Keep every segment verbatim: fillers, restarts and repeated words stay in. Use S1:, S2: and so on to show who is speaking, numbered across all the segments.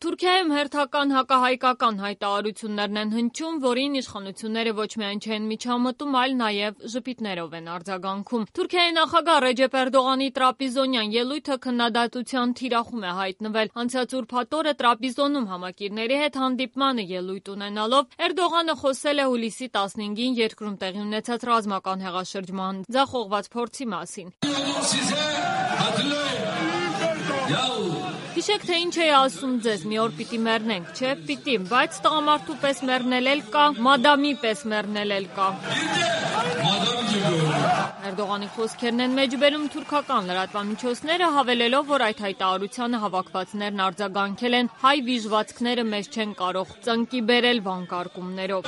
S1: Թուրքիայում հերթական հակահայկական հայտարարություններն են հնչում, որին իշխանությունները ոչ միայն չեն միջամտում, այլ նաև ժպիտներով են արձագանքում։ Թուրքիայի նախագահ Ռեջեփ Էրդողանի տրապիզոնյան ելույթը քննադատության թիրախում է հայտնվել։ Անցած ուրբաթ օրը Տրապիզոնում համակիրների հետ հանդիպմանը ելույթ ունենալով Էրդողանը խոսել է հուլիսի տասնհինգին երկրում տեղի ունեցած ռազմական հեղաշրջման ձախողված փորձի մասին։ Հիշեք, թե ինչ էի ասում ձեզ, մի օր պիտի մեռնենք, չէ, պիտի, բայց տղամարդու պես մեռնել էլ կա, մադամի պես մեռնել էլ կա։ Էրդողանի խոսքերն են մեջբերում թուրքական լրատվամիջոցները, հավելելով, որ այդ հայտարարությանը հավաքվածներն արձագանքել են հայ վիժվածքները մեզ չեն կարող ծնկի բերել վանկարկումներով։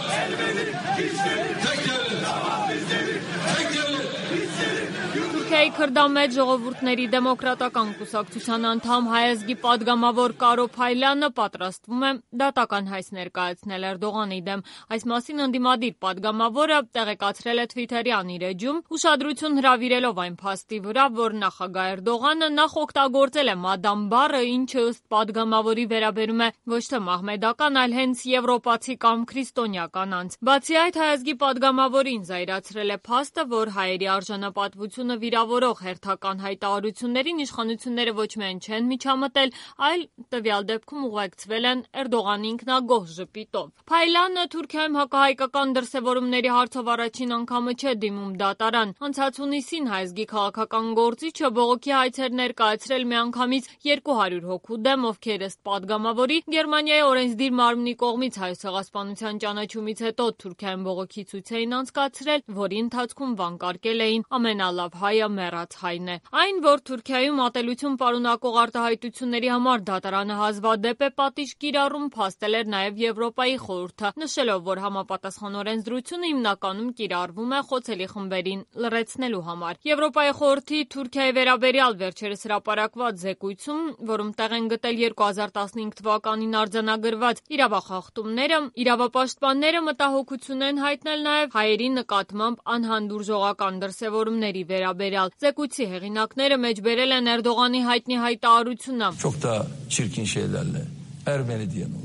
S1: Թուրքիայի քրդամետ ժողովուրդների դեմոկրատական կուսակցության անդամ հայազգի падգամավոր Կարո Փայլյանը պատրաստվում է դատական հայց ներկայացնել Էրդողանի դեմ։ Այս մասին ընդդիմադիր падգամավորը տեղեկացրել է Թվիթերյան իր էջում, ուշադրություն հրավիրելով այն փաստի վրա, որ նախագահ Էրդողանը նախ օգտագործել է մադամ բառը, ինչը ըստ падգամավորի վերաբերում է ոչ թե մահմեդական, այլ հենց եվրոպացի կամ քրիստոնյա անձ։ Բացի այդ, հայազգի падգամավորին զայրացրել է փաստը, որ հայերի արժանապատվությունը վիրավորող հերթական հայտարարություններին իշխանությունները ոչ միայն չեն միջամտել, այլ տվյալ դեպքում ուղեկցվել են Էրդողանի ինքնագոհ ժպիտով։ Փայլյանը Թուրքիայում հակահայկական դրսևորումների հարցով առաջին անգամը չէ դիմում դատարան։ Անցած հունիսին հայազգի քաղաքական գործիչը բողոքի հայցեր ներկայացրել միանգամից երկու հարյուր հոգու դեմ, ովքեր ըստ падգամավորի Գերմանիայի օրենսդիր մարմնի կողմից Հայոց ցեղասպանության ճանաչումից հետո Թուրքիայում բողոքի ցույց էին անցկացրել, որի ընթացքում վանկարկել էին ամենալավ հայը մեռած հայն է։ Այն, որ Թուրքիայում ատելություն պարունակող արտահայտությունների համար դատարանը հազվադեպ է պատիժ կիրառում, փաստել էր նաև Եվրոպայի խորհուրդը, նշելով, որ համապատասխան օրենսդրությունը հիմնականում կիրառվում է խոցելի խմբերին լռեցնելու համար։ Եվրոպայի խորհրդի Թուրքիայի վերաբերյալ վերջերս հրապարակված զեկույցում, որում տեղ են գտել երկու հազար տասնհինգ թվականին արձանագրված իրավախախտումները, իրավապաշտպանները մտահոգություն են հայտնել նաև հայերի նկատմամբ անհանդուրժողական դրսևորումների վերաբերյալ։ Զեկույցի հեղինակները մեջբերել են Էրդողանի հայտնի հայտարարությունը։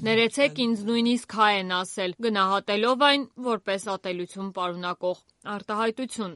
S1: Ներեցեք ինձ նույնիսկ հայ են ասել, գնահատելով այն որպես ատելություն պարունակող արտահայտություն։